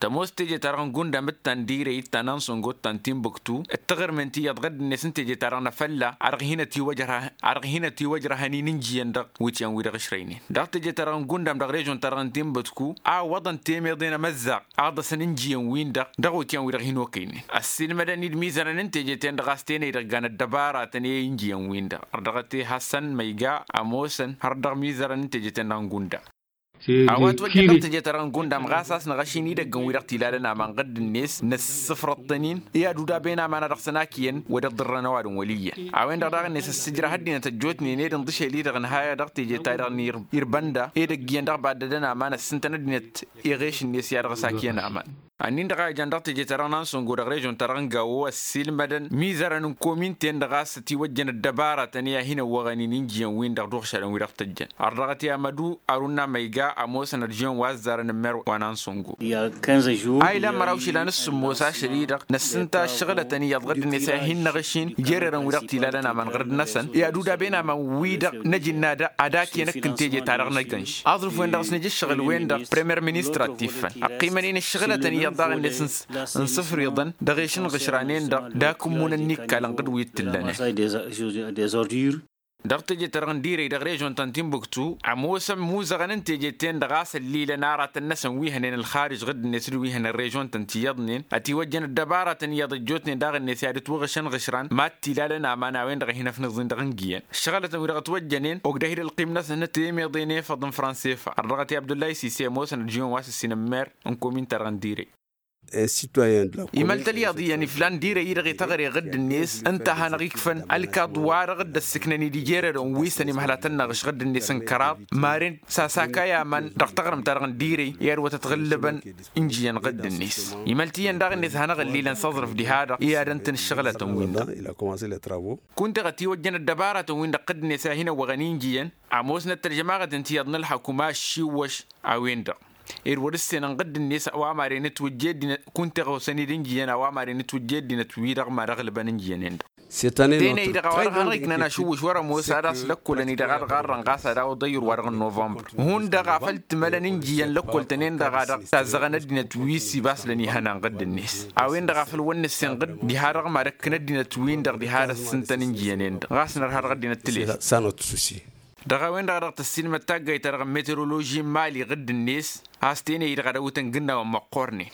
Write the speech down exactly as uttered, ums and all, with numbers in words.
Tămoos teje-ta-dăɣ n-gundam d-ta n-direy d-ta n-ansongo d-ta n-tinbuktu d-taɣrǝmen ti iyyăḍ ɣǝdd-net n-teje-ta-dăɣ n-afălla a dăɣ-hin-ătiwăjrăhăn a dăɣ-hin-ătiwăjrăhăn-in ǝnjǝyăn dăɣ-wǝtyan wi-dăɣ ǝšrăynen dăɣ-teje-ta-dăɣ n-gundam dăɣ-režon-ta-dăɣ n-tinbuktu a ǝwwăḍăn temeḍe n-emăzzaɣ a ăḍḍăsăn ǝnjǝyăn-win-dăɣ dăɣ-wǝtyan wi-dăɣ hin-okăynen. Ăssiilmădăn-dd imizărăn n-teje-ten-dăɣ a-s tenăy idăggan ăddăbaratăn i-ǝnjǝyăn-win-dăɣ har dăɣ-t-e-hasăn măyga ămoosăn har dăɣ-imizărăn n-teje-ten-dăɣ n-gundam. A-wa ătwăjjăn dăɣ-teje-ta-dăɣ n-gundam ɣas a-s năɣăš-in idăggăn-wi-dăɣ t-ilalăn aman ɣǝdd-net năssǝfrăḍ-tăn-in i-ad-udaben aman a dăɣ-săn akǝyăn wăr dd-ǝrrăn ăwadǝm wăl' iyyăn. A-wen-dăɣ daɣ-net ăssǝjrăh ăddinăt ăjjootnen ed ǝnḍǝšel-i-dăɣ ǝnhayăɣ dăɣ-teje-ta-dăɣ n-irbănda edăgg iyyăn dăɣ-baddădăn aman ăssintăn ăddinăt iɣeš-net i-ad-dăɣ-s akǝyăn aman. Ănnin-dăɣ a ijan dăɣ-teje-ta-dăɣ n-ansongo dăɣ-režon-ta-dăɣ n-gawo ăssiilmădăn imizărăn n-komin-ten-dăɣ a-s ătiwăjjăn ăddăbaratăn i-ad-hin-ăwwăɣăn-in injǝyăn-win-dăɣ d-uɣšadăn-wi-dăɣ tăjjăn har dăɣ-t i-amădu arunna măyga ămoosăn ărjǝyăn wa ăzzarăn n-mer wa n-ansongo. A ilan măraw išilan s-sǝmmos ašăl-i-dăɣ năssǝnta ǝššăɣǝlătăn iyyăḍ ɣǝdd-net a hin-năɣ ăšin jererăn-wi-dăɣ t-ilalăn aman ɣǝrǝd-năsăn i-ad-udab'-en aman-wi-dăɣ n-ajǝnna ad-akǝyăn ǝkk n-teje-ta-dăɣ n-agǝnš aẓrǝf-wen-dăɣ s-nǝj ǝššăɣǝl-wen-dăɣ premer ministăr ad-t-iffăn ăqqimăn-in ǝššăɣǝlătăn iyyăḍ daɣ-net n-sǝfriḍăn dăɣ-ešǝnɣǝšran-en-dăɣ d-akǝmmun ănnikkal n-iqqǝd wi t-ǝllănen. Dăɣ-teje-ta-dăɣ n-direy dăɣ-režon ta n-tinbuktu ămoosăn imuzăɣăn n-teje-ten-dăɣ a-s ăllilăn aratăn-năsăn wi hănen ălxarǝj ɣǝdd-net d-wi hănen režon-tăn ti iyyăḍnen ătiwăjjăn ăddăbaratăn iyyăḍ ăjjootnen daɣ-net i-ad-ǝtwăɣǝšăn ɣǝšran mad-t-ilalăn aman a-wen-dăɣ a hin-ăfnǝẓ-in dăɣ-ǝngǝyăn ǝššăɣǝlătăn-wi-dăɣ ătwăjjănen ogdăh-dd ălqim-năsăn n-temeḍe n-efăḍ n-fransefa har dăɣ-t i-abdullahi sise ămoosăn ălžǝyon wa s-ǝssin n-mer n-komin-ta-dăɣ n-direy. Imăl-t ălyaḍ iyyăn iflan dirăy-i-dăɣ i-taɣre ɣǝdd-net ǝnta a hanăɣ-ikfăn ălkaḍ-wa-dăɣ dd-ăssǝknăn-dd ijerădăn wi s-ănimhăl ad-tăn-năɣ ǝšɣǝdd-net n-kăraḍ maren s-asakay aman dăɣ-taɣrǝmt-ta-dăɣ n-dirăy i-ad-wăt-ătɣǝllǝbăn injǝyăn ɣǝdd-net. Imăl-t iyyăn daɣ-net hanăɣ-ăllilăn s-aẓrǝf diha-dăɣ i-ad-ăntǝn ǝššăɣǝlătăn-win-dăɣ. Kunta-dăɣ ătiwăjjăn ăddăbaratăn-win-dăɣ ɣǝdd-net i-ad-hin-ăwwăɣăn injǝyăn ămoosnăt tălžămaɣăt ǝnta iyyăḍ n-ălxăkum a ăššiwwăš a-wen-dăɣ ed wăr-ǝssenăn ɣǝdd-net a-wa maren ǝtwǝjje ăddinăt kunta-dăɣ osăn-dd injǝyăn a-wa maren ǝtwǝjje ăddinăt-wi-dăɣ mad-ăɣlǝbăn injǝyăn-en-dăɣ. Tenăy-dăɣ a-wa-dăɣ hanăɣ-iknăn ašǝwwǝš wăr-ămoos ad-aslăkkolăn-i-dăɣ a dăɣ-arrăn ɣas ad-awǝḍăy ur-wa-dăɣ n-novămbăr hundăɣ a făl t-mălăn injǝyăn lăkkol-tăn-en-dăɣ a dăɣ-tazzăɣăn ăddinăt wi s-ibaslăn ihănan ɣǝdd-net a-wen-dăɣ a făl wăr nǝssen ɣǝdd diha-dăɣ mad-ăkkǝn ăddinăt-win-dăɣ diha ad-ăssǝntăn injǝyăn-en-dăɣ ɣas nărha dăɣ-ăddinăt tǝlet. Dăɣ-a-wen-dăɣ a dăɣ-tăssilmăd taggayt-ta-dăɣ n-meteroloži n-mali ɣǝdd-net a-s tenăy-dăɣ ad-ăwwǝtăn gǝnnawăn măqqornen.